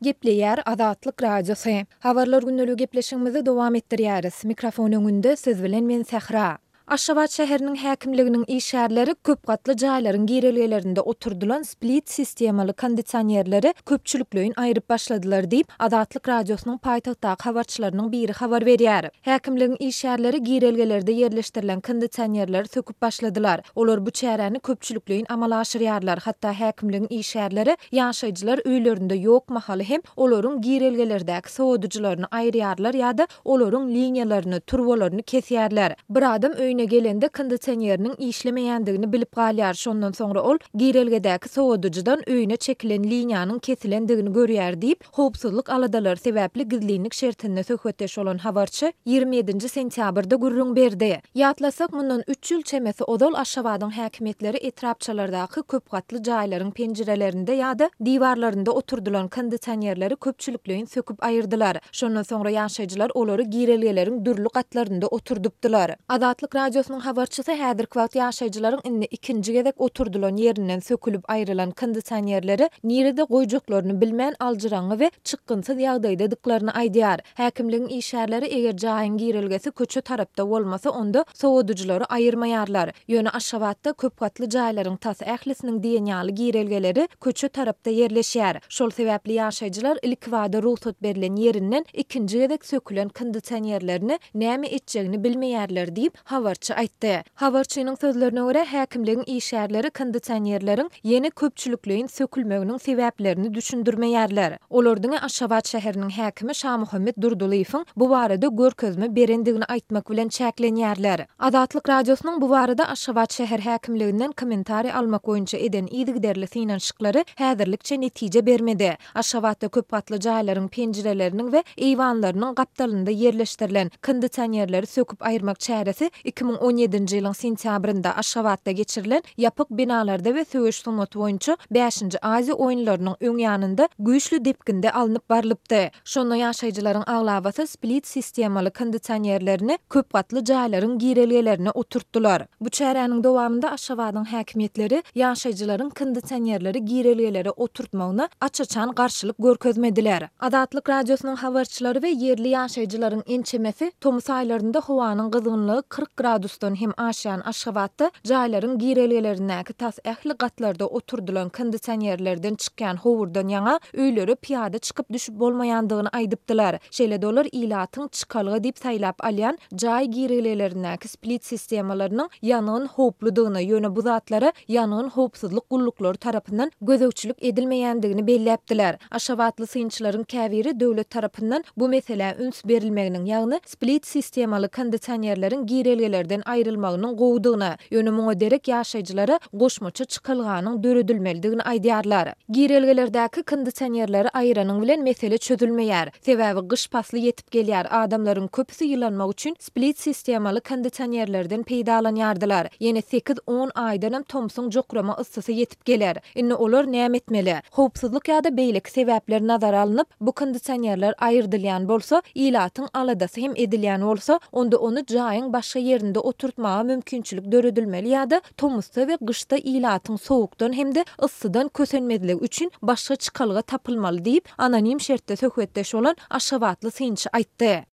Gepleýär Azatlyk Radiosy. Habarlar gündeligi gepleşigimizi dowam etdirýäris. Mikrofon öňünde siz bilen men Sähra. Aşgabat şäheriniň häkimliginiň işgärleri köp gatly jaýlaryň girelgelerinde oturdylan split sistemaly kondisionerleri köpçülikleýin aýryp başladylar diýip, Azatlyk Radiosynyň paýtagtdaky habarçylarynyň biri habar berýär. Häkimligiň işgärleri girelgelerde ýerleşdirilen kondisionerleri söküp başladylar. Olar bu çäräni köpçülikleýin amala aşyrýarlar, hatda häkimligiň işgärleri ýaşaýjylar öýlerinde ýok mahaly hem olaryň girelgelerdäki sowadyjylaryny aýyrýarlar ýa-da olaryň liniýalaryny, turbalaryny kesýärler. Bir adam öýüne gelende kondisioneriniň işlemeýändigini bilip galýar, şondan soňra ol girelgedäki sowadyjydan öýüne çekilen liniýanyň kesilendigini görýär diýip, Howpsuzlyk aladalary sebäpli gizlinlik şertinde söhbetdeş bolan habarçy 27-nji sentýabrda gürrüň berdi. Ýatlasak, mundan üç ýyl çemesi ozal Aşgabadyň häkimiýetleri etrapçalardaky köp gatly jaýlaryň penjirelerinde ýa-da diwarlarynda oturdylan kondisionerleri köpçülikleýin söküp aýyrdylar. Şondan soňra ýaşaýjylar olary girelgeleriň dürli gatlarynda oturdypdylar. Azatlyk Radiosynyň habarçysy häzirki wagt ýaşaýjylaryň indi ikinji gezek oturdylan ýerinden sökülip aýrylan kondisionerleri nirede goýjaklaryny bilmän aljyraňňy we çykgynsyz ýagdaýdadyklaryny aýdýar. Häkimligiň işgärleri eger jaýyň girelgesi köçe tarapda bolmasa onda sowadyjylary aýyrmaýarlar. Ýöne Aşgabatda köp gatly jaýlaryň tas ählisiniň diýen ýaly girelgeleri köçe tarapda ýerleşýär. Şol sebäpli ýaşaýjylar ilkibada rugsat berlen ýerinden ikinji gezek sökülen kondisionerlerini näme etjegini bilmeýärler diýip, habarçy aýtdy. Habarçynyň sözlerine görä, häkimligiň işgärleri kondisionerleriň ýene köpçülikleýin sökülmeginiň sebäplerini düşündirmeýärler. Olar diňe Aşgabat şäheriniň häkimi Şamuhammet Durdylyýewiň bu barada görkezme berendigini aýtmak bilen çäklenýärler. Azatlyk Radiosynyň bu barada Aşgabat şäher häkimliginden kommentariý almak boýunça eden yzygiderli synanyşyklary häzirlikçe netije bermedi. Aşgabatda köp gatly jaýlaryň penjireleriniň we eýwanlarynyň gapdalynda ýerleşdirilen kondisionerleri söküp aýyrmak çäresi 2017-nji ýylyň sentýabrynda Aşgabatda geçirilen ýapyk binalarda we söweş sungaty boýunça bäşinji Aziýa oýunlarynyň öň ýanynda güýçli depginde alnyp barlypdy. Şonda ýaşaýjylaryň aglabasy split sistemaly kondisionerlerini köp gatly jaýlaryň girelgelerine oturtdylar. Bu çäräniň dowamynda Aşgabadyň häkimiýetleri ýaşaýjylaryň kondisionerleri girelgelere oturtmagyna aç-açan garşylyk görkezmediler. Azatlyk Radiosynyň habarçylary we ýerli ýaşaýjylaryň ençemesi tomus aýlarynda howanyň gyzgynlygy 40 gradusdan hem aşýan Aşgabatda jaýlaryň girelgelerindäki tas ähli gatlarda oturdylan kondisionerlerden çykýan howurdan ýaňa öýlere pyýada çykyp-düşüp bolmaýandygyny aýdypdylar. Şeýle-de olar ilatyň çykalga diýip saýlap alýan jaý girelgelerindäki split sistemalarynyň ýangyn howpludygyny, ýöne bu zatlara ýangyn howpsuzlyk gulluklary tarapyndan gözegçilik edilmeýändigini belläpdiler. Aşgabatly synçylaryň käbiri döwlet tarapyndan bu meselä üns berilmeginiň, ýagny split sistemaly kondisionerleriň girelgelerden aýrylmagynyň gowudygyny, ýöne muňa derek ýaşaýjylara goşmaça çykalganyň döredilmelidigini aýdýarlar. Girelgelerdäki kondisionerleri aýyranyň bilen mesele çözülmeýär. Sebäbi gyş pasly ýetip gelýär, adamlaryň köpüsi ýylanmak üçin split sistemaly kondisionerlerden peýdalanýardylar. Ýene sekiz-on aýdanam tomsuň jokrama yssysy ýetip geler. Indi olar näme etmeli? Howpsuzlyk ýa-da beýleki sebäpler nazara alnyp, bu kondisionerler aýyrdylýan bolsa, ilatyň aladasy hem edilýän bolsa, onda ony jaýyň başga ýerinde oturtmaga mümkinçilik döredilmeli ýa-da tomusda we gyşda ilatyň sowukdan hem-de yssydan kösenmezligi üçin başga çykalga tapylmaly diýip, anonim şertde söhbetdeş bolan aşgabatly synçy aýtdy.